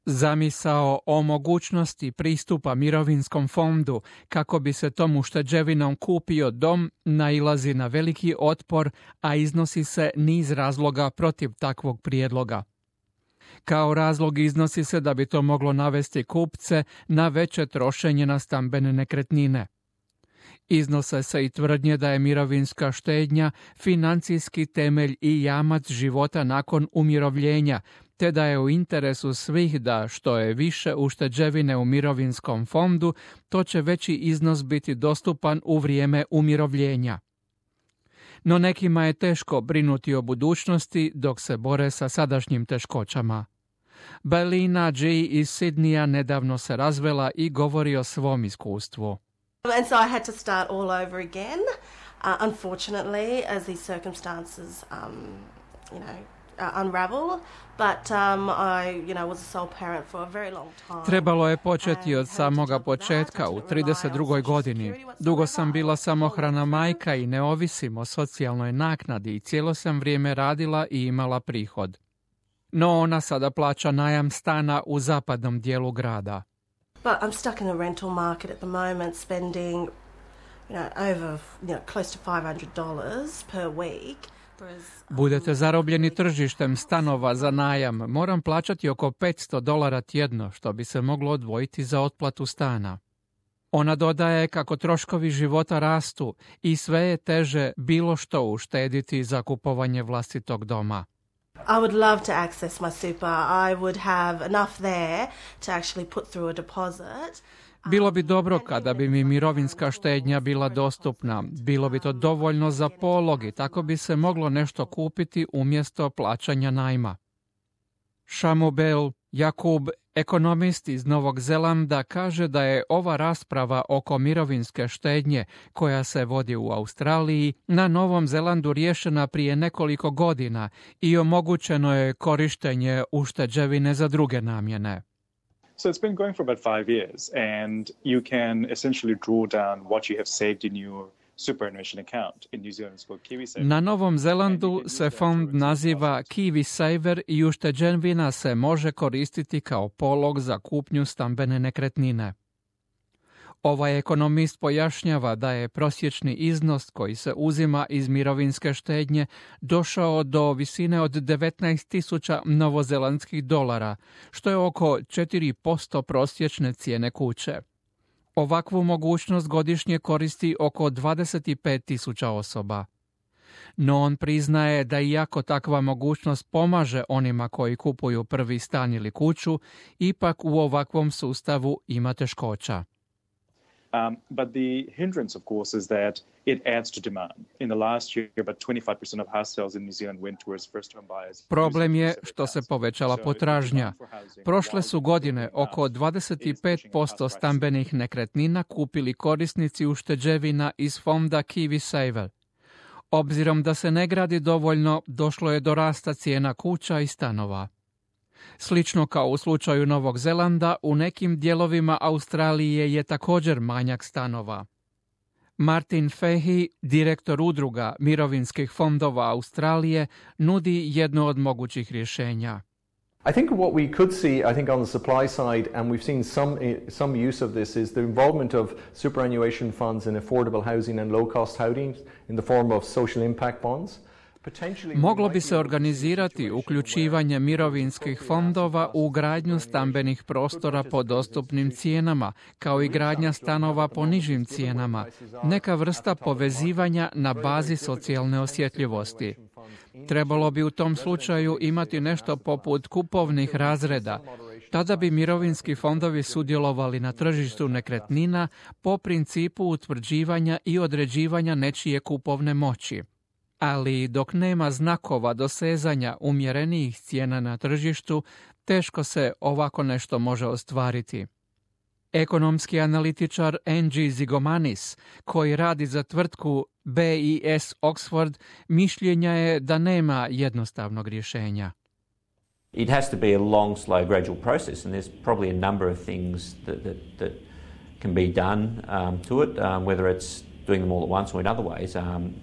Zamisao o mogućnosti pristupa mirovinskom fondu kako bi se tom ušteđevinom kupio dom nailazi na veliki otpor, a iznosi se niz razloga protiv takvog prijedloga. Kao razlog iznosi se da bi to moglo navesti kupce na veće trošenje na stambene nekretnine. Iznose se i tvrdnje da je mirovinska štednja financijski temelj i jamac života nakon umirovljenja, te da je u interesu svih da što je više ušteđevine u mirovinskom fondu, to će veći iznos biti dostupan u vrijeme umirovljenja. No nekima je teško brinuti o budućnosti dok se bore sa sadašnjim teškoćama. Belina G. iz Sidneya nedavno se razvela i govori o svom iskustvu. And so I had to start all over again, unfortunately, as these circumstances, unravel. But I, was a sole parent for a very long time. Trebalo je početi od samoga početka u 32. godini. Dugo sam bila samohrana majka i ne ovisim o socijalnoj naknadi i cijelo sam vrijeme radila i imala prihod. No ona sada plaća najam stana u zapadnom dijelu grada. But I'm stuck in the rental market at the moment, spending, over, close to $500 per week. Budete zarobljeni tržištem stanova za najam. Moram plaćati oko $500 tjedno, što bi se moglo odvojiti za otplatu stana. Ona dodaje kako troškovi života rastu i sve je teže bilo što uštediti za kupovanje vlastitog doma. I would love to access my super. I would have enough there to actually put through a deposit. Bilo bi dobro kada bi mi mirovinska štednja bila dostupna. Bilo bi to dovoljno za polog i tako bi se moglo nešto kupiti umjesto plaćanja najma. Shamubel Jakub, ekonomist iz Novog Zelanda, kaže da je ova rasprava oko mirovinske štednje koja se vodi u Australiji na Novom Zelandu riješena prije nekoliko godina i omogućeno je korištenje ušteđevine za druge namjene. So it's been going for about 5 years and you can essentially draw down what you have saved in your superannuation account. In New Zealand it's called KiwiSaver. Na Novom Zelandu se fond naziva KiwiSaver i ušteđevina se može koristiti kao polog za kupnju stambene nekretnine. Ovaj ekonomist pojašnjava da je prosječni iznos koji se uzima iz mirovinske štednje došao do visine od 19.000 novozelandskih dolara, što je oko 4% prosječne cijene kuće. Ovakvu mogućnost godišnje koristi oko 25.000 osoba. No on priznaje da iako takva mogućnost pomaže onima koji kupuju prvi stan ili kuću, ipak u ovakvom sustavu ima teškoća. But the hindrance, of course, is that it adds to demand. In the last year, about 25% of house sales in New Zealand went towards first-home buyers. Problem je što se povećala potražnja. Prošle su godine oko 25% stambenih nekretnina kupili korisnici ušteđevina iz fonda KiwiSaver. Obzirom da se ne gradi dovoljno, došlo je do rasta cijena kuća i stanova. Slično kao u slučaju Novog Zelanda, u nekim dijelovima Australije je također manjak stanova. Martin Fahey, direktor udruga mirovinskih fondova Australije, nudi jedno od mogućih rješenja. I think what we could see, on the supply side, and we've seen some use of this, is the involvement of superannuation funds in affordable housing and low-cost housing in the form of social impact bonds. Moglo bi se organizirati uključivanje mirovinskih fondova u gradnju stambenih prostora po dostupnim cijenama, kao i gradnja stanova po nižim cijenama, neka vrsta povezivanja na bazi socijalne osjetljivosti. Trebalo bi u tom slučaju imati nešto poput kupovnih razreda. Tada bi mirovinski fondovi sudjelovali na tržištu nekretnina po principu utvrđivanja i određivanja nečije kupovne moći. Ali dok nema znakova dosezanja umjerenijih cijena na tržištu, teško se ovako nešto može ostvariti. Ekonomski analitičar Angie Zigomanis, koji radi za tvrtku BIS Oxford, mišljenja je da nema jednostavnog rješenja. It has to be a long, slow, gradual process, and there's probably a number of things that can be done to it, whether it's doing them all at once or in other ways,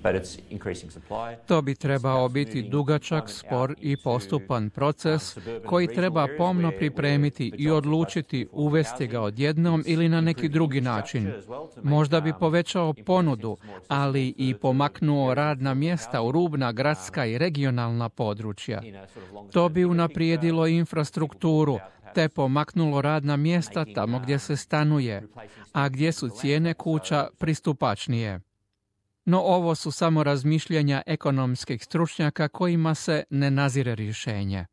but it's increasing supply. To bi trebao biti dugačak, spor i postupan proces koji treba pomno pripremiti i odlučiti uvesti ga odjednom ili na neki drugi način. Možda bi povećao ponudu, ali i pomaknuo radna mjesta u rubna gradska i regionalna područja. To bi unaprijedilo infrastrukturu, te pomaknulo radna mjesta tamo gdje se stanuje, a gdje su cijene kuća pristupačnije. No ovo su samo razmišljanja ekonomskih stručnjaka kojima se ne nazire rješenje.